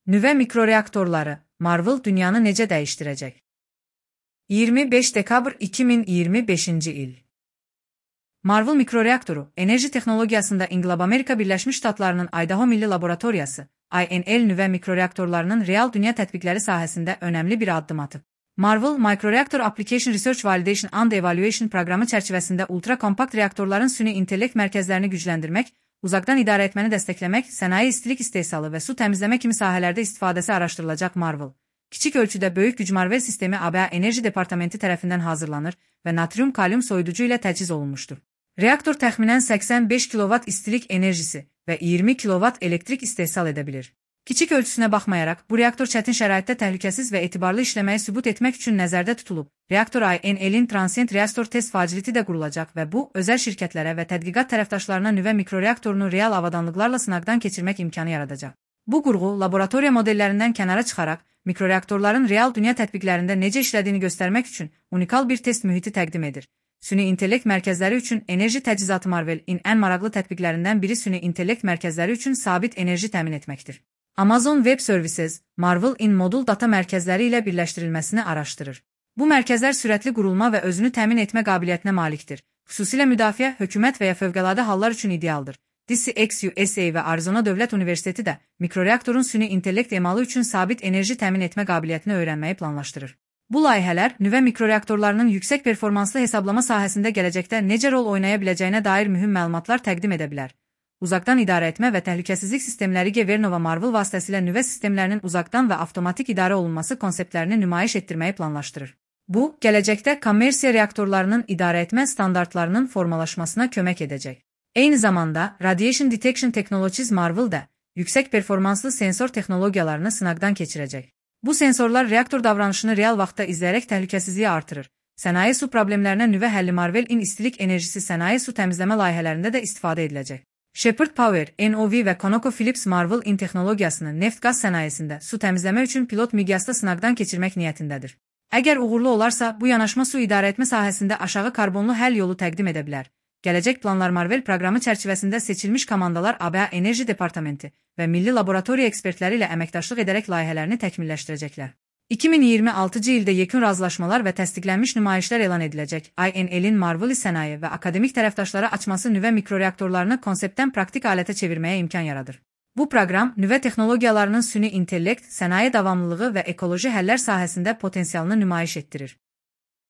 Nüvə mikroreaktorları, Marvel dünyanı necə dəyişdirəcək? 25 dekabr 2025-ci il. Marvel mikroreaktoru, enerji texnologiyasında İnqilab Amerika Birləşmiş Ştatlarının Idaho Milli Laboratoriyası, INL nüvə mikroreaktorlarının real dünya tətbiqləri sahəsində önəmli bir addım atıb. Marvel Microreactor Application Research Validation and Evaluation proqramı çərçivəsində ultra-kompakt reaktorların süni intellekt mərkəzlərini gücləndirmək, uzaqdan idarə etməni dəstəkləmək, sənaye istilik istehsalı və su təmizləmə kimi sahələrdə istifadəsi araşdırılacaq. Marvel kiçik ölçüdə böyük gücmarvel sistemi ABA Enerji Departamenti tərəfindən hazırlanır və natrium-kalium soyuducu ilə təchiz olunmuşdur. Reaktor təxminən 85 kilovat istilik enerjisi və 20 kilovat elektrik istehsal edə bilir. Kiçik ölçüsünə baxmayaraq, bu reaktor çətin şəraitdə təhlükəsiz və etibarlı işləməyi sübut etmək üçün nəzərdə tutulub. Reaktor INL-in Transient Reaktor Test Facility də qurulacaq və bu, özəl şirkətlərə və tədqiqat tərəfdaşlarına nüvə mikroreaktorunu real avadanlıqlarla sınaqdan keçirmək imkanı yaradacaq. Bu qurğu, laboratoriya modellərindən kənara çıxaraq, mikroreaktorların real dünya tətbiqlərində necə işlədiyini göstərmək üçün unikal bir test mühiti təqdim edir. Süni intellekt mərkəzləri üçün enerji təchizatı Marvel-in ən maraqlı tətbiqlərindən biri süni intellekt mərkəzləri üçün sabit enerji təmin etməkdir. Amazon Web Services, Marvel-in modul data mərkəzləri ilə birləşdirilməsini araşdırır. Bu mərkəzlər sürətli qurulma və özünü təmin etmə qabiliyyətinə malikdir. Xüsusilə müdafiə, hökumət və ya fövqəladə hallar üçün idealdır. DCX-USA və Arizona Dövlət Universiteti də mikroreaktorun süni intellekt emalı üçün sabit enerji təmin etmə qabiliyyətini öyrənməyi planlaşdırır. Bu layihələr nüvə mikroreaktorlarının yüksək performanslı hesablama sahəsində gələcəkdə necə rol oynaya biləcəyinə dair mühüm məlumatlar təqdim edə bilər. Uzaqdan idarə etmə və təhlükəsizlik sistemləri Gevernova Marvel vasitəsilə nüvə sistemlərinin uzaqdan və avtomatik idarə olunması konseptlərini nümayiş etdirməyi planlaşdırır. Bu, gələcəkdə kommersiya reaktorlarının idarə etmə standartlarının formalaşmasına kömək edəcək. Eyni zamanda, Radiation Detection Technologies Marvel də yüksək performanslı sensor texnologiyalarını sınaqdan keçirəcək. Bu sensorlar reaktor davranışını real vaxtda izləyərək təhlükəsizliyi artırır. Sənaye su problemlərinə nüvə həlli Marvel-in istilik enerjisi sənaye su təmizləmə layihələrində də istifadə ediləcək. Shepherd Power, NOV və ConocoPhillips Marvel-in texnologiyasını neft-qaz sənayesində su təmizləmə üçün pilot miqyasda sınaqdan keçirmək niyyətindədir. Əgər uğurlu olarsa, bu yanaşma su idarə etmə sahəsində aşağı karbonlu həll yolu təqdim edə bilər. Gələcək planlar Marvel proqramı çərçivəsində seçilmiş komandalar ABA Enerji Departamenti və milli laboratoriya ekspertləri ilə əməkdaşlıq edərək layihələrini təkmilləşdirəcəklər. 2026-cı ildə yekun razılaşmalar və təsdiqlənmiş nümayişlər elan ediləcək. INL-in Marvel sənaye və akademik tərəfdaşlara açması nüvə mikroreaktorlarını konseptdən praktik alətə çevirməyə imkan yaradır. Bu proqram nüvə texnologiyalarının süni intellekt, sənaye davamlılığı və ekoloji həllər sahəsində potensialını nümayiş etdirir.